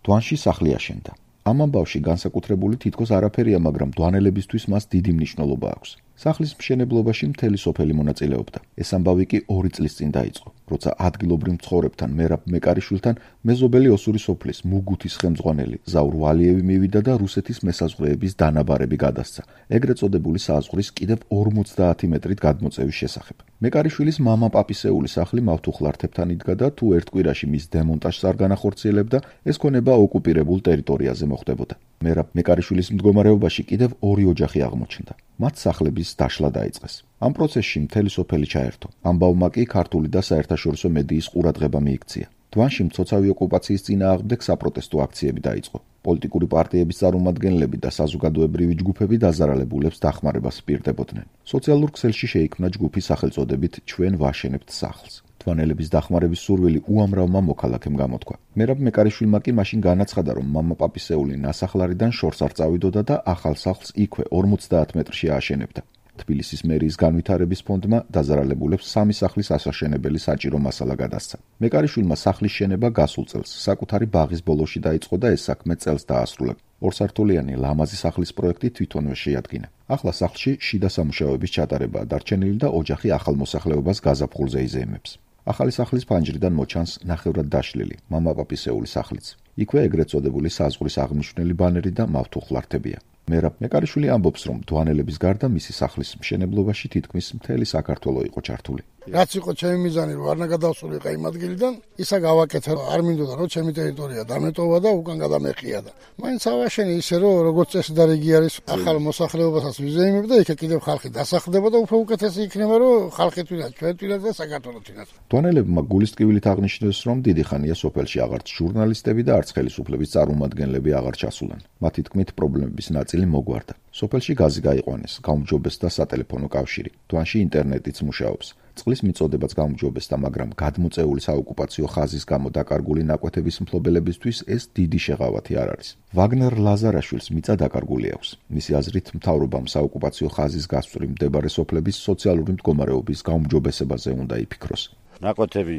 დვანში სახლი აშენდა. ამ ამბავში განსაკუთრებული თითქოს არაფერია, მაგრამ დვანელებისთვის მას დიდი მნიშვნელობა აქვს. სახლის მშენებლობაში მთელი სოფელი მონაწილეობდა. ეს ამბავი კი 2 წლის წინ დაიწყო, როცა ადგილობრივ მცხოვრებთან მერაბ მეკარიშვილთან მეზობელი ოსური სოფლის მუგუთის ხელმძღვანელი ზაურ ვალიევი მივიდა და რუსეთის მესაზღვრეების დანაბარები გადასცა, ეგრეთ წოდებული საზღვრის კიდევ 50 მეტრით გადმოწევის შესახებ. მეკარიშვილის მამა პაპისეული სახლი მავთუხლართებთან იდგა და თუ ერთ კვირაში მის დემონტაჟს არ განახორციელებდა, ეს ქონება ოკუპირებულ ტერიტორიაზე მოხდებოდა. მერაბ მეკარიშვილის მდგომარეობაში კიდევ 2 ოჯახი აღმოჩნდა. მათ სახლების დაშლა დაიწყეს. ამ პროცესში მთელი სოფელი ჩაერთო. ამბავმა კი ქართული და საერთაშორისო მედიის ყურადღება მიიქცია. დვანში მცოცავი ოკუპაციის წინააღმდეგ საპროტესტო აქციები დაიწყო. პოლიტიკური პარტიების წარმომადგენლები და საზოგადოებრივი ჯგუფები დაზარალებულებს დახმარებას პირდებოდნენ. სოციალურ ქსელში შეიქმნა ჯგუფი სახელწოდებით „ჩვენ ვაშენებთ სახლს“. დვანელების დახმარების სურვილი უამრავმა მოქალაქემ გამოთქვა. მერაბ მეკარიშვილმა კი მაშინ განაცხადა, რომ მამა პაპისეული ნასახლარიდან შორს არ წავიდოდა და ახალ სახლს იქვე 50 მეტრში ააშენებდა. თბილისის მერიის განვითარების ფონდმა დაზარალებულებს 3 სახლის ასაშენებელი საჭირო მასალა გადასცა. მეკარიშვილმა სახლის შენება გასულ წელს საკუთარი ბაღის ბოლოში დაიწყო და ეს საქმე წელს დაასრულა. 2 სართულიანი ლამაზი სახლის პროექტი თვითონვე შეადგინა. ახლა სახლში შიდა სამუშაოების ჩატარებაა დარჩენილი და ოჯახი ახალ მოსახლეობას გაზაფხულზე იზეიმებს. ახალი სახლის ფანჯრიდან მოჩანს ნახევრად დაშლილი მამა პაპისეული სახლიც. იქვე ეგრეთ წოდებული საზღვრის აღნიშნული ბანერი და მავთუხლართებია. მერაბ მეკარიშვილი ამბობს, რომ დვანელების გარდა მისი სახლის მშენებლობაში თითქმის მთელი საქართველო იყო ჩართული. რაც იყო ჩემი მიზანი, რომ არ ნაგადავსულიყო იმ ადგილიდან, ისა გავაკეთე, არ მინდოდა რომ ჩემი ტერიტორია დამეტოვა და უკან გადამეყია და მაინც ავაშენე ისე რომ როგორც წესი და რიგი არის ახალ მოსახლეობასაც ვიზეიმებ და იქ კიდევ ხალხი დასახლდება და უფრო უკეთესი იქნება რომ ხალხი თვითონ ჩვენ თვითონ და საქართველოს თვითონ. დვანელებმა გულის ტკივილით აღნიშნეს, რომ დიდი ხანია სოფელში აღარც ჟურნალისტები და არც ხელისუფლების წარმომადგენლები აღარ ჩასულან. მათი თქმით პრობლემების ნაწილი მოგვარდა. სოფელში გაზი გაიყვანეს, გაუმჯობეს და სატელეფონო კავშირი. დვანში ინტერნეტიც მუშაობს. წყლის მიწოდებაც გაუმჯობესდა, მაგრამ გადმოწეული საოკუპაციო ხაზის გამო დაკარგული ნაკვეთების მფლობელებისთვის ეს დიდი შეღავათი არ არის. ვაგნერ ლაზარაშვილს მიწა დაკარგული აქვს. მისი აზრით, მთავრობამ საოკუპაციო ხაზის გასწვრივ მდებარე სოფლების სოციალური მდგომარეობის გაუმჯობესებაზე უნდა იფიქროს. ნაკვეთები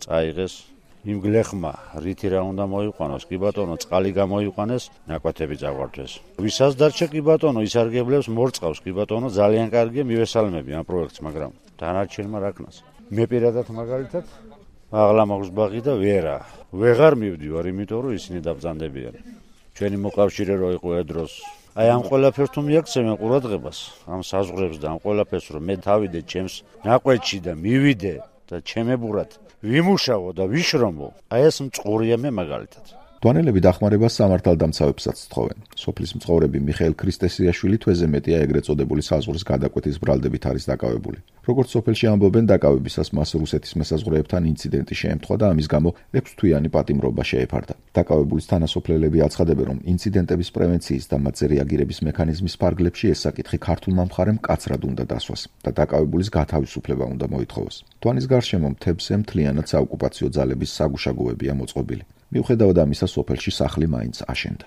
წაიღეს, იმ გლეხმა რითი რა უნდა მოიყვანოს, კი ბატონო, წყალი გამოიყვანეს, ნაკვეთები წაგვართვეს. ვისაც დარჩა კი ბატონო, ისარგებლებს მორწყავს, კი ბატონო, ძალიან კარგია, მივესალმები ამ პროექტს, მაგრამ დანარჩენმა რა ქნას. მე პირადად მაგალითად აღლა მაქვს ბაღი და ვეღარ მივდივარ, იმიტომ რომ ისინი დაბრძანდებიან. ჩვენი მოკავშირე რო იყო ედროს. აი ამ ყველაფერს თუ მიაქცევენ ყურადღებას, ამ საზღვრებს და ამ ყველაფერს რომ მე თავიდე ჩემს ნაკვეთში და მივიდე და ჩემებურად ვიმუშავო და ვიშრომო, აი ეს მწყურია მე მაგალითად. დვანელები დახმარებას სამართალდამცავებსაც თხოვენ. სოფლის მცხოვრები მიხეილ ქრისტესიაშვილი თვეზე მეტია ეგრეთ წოდებული საზღვრის გადაკვეთის ბრალდებით არის დაკავებული. როგორც სოფელში ამბობენ, დაკავებისას მას რუსეთის მესაზღვრეებთან ინციდენტი შეემთხვა და ამის გამო 6 თვიანი პატიმრობა შეეფარდა. დაკავებულის თანასოფლელები აცხადებენ, რომ ინციდენტების პრევენციის და მათზე რეაგირების მექანიზმის ფარგლებში ეს საკითხი ქართულმა მხარემ კაცრად უნდა დასვას და დაკავებულის გათავისუფლება უნდა მოითხოვოს. დვანის გარშემო მთებზე მთლიანად საოკუპაციო ძალების საგუშაგოებია მოწყობილი. მიუხედავად ამისა, სოფელში სახლი მაინც აშენდა.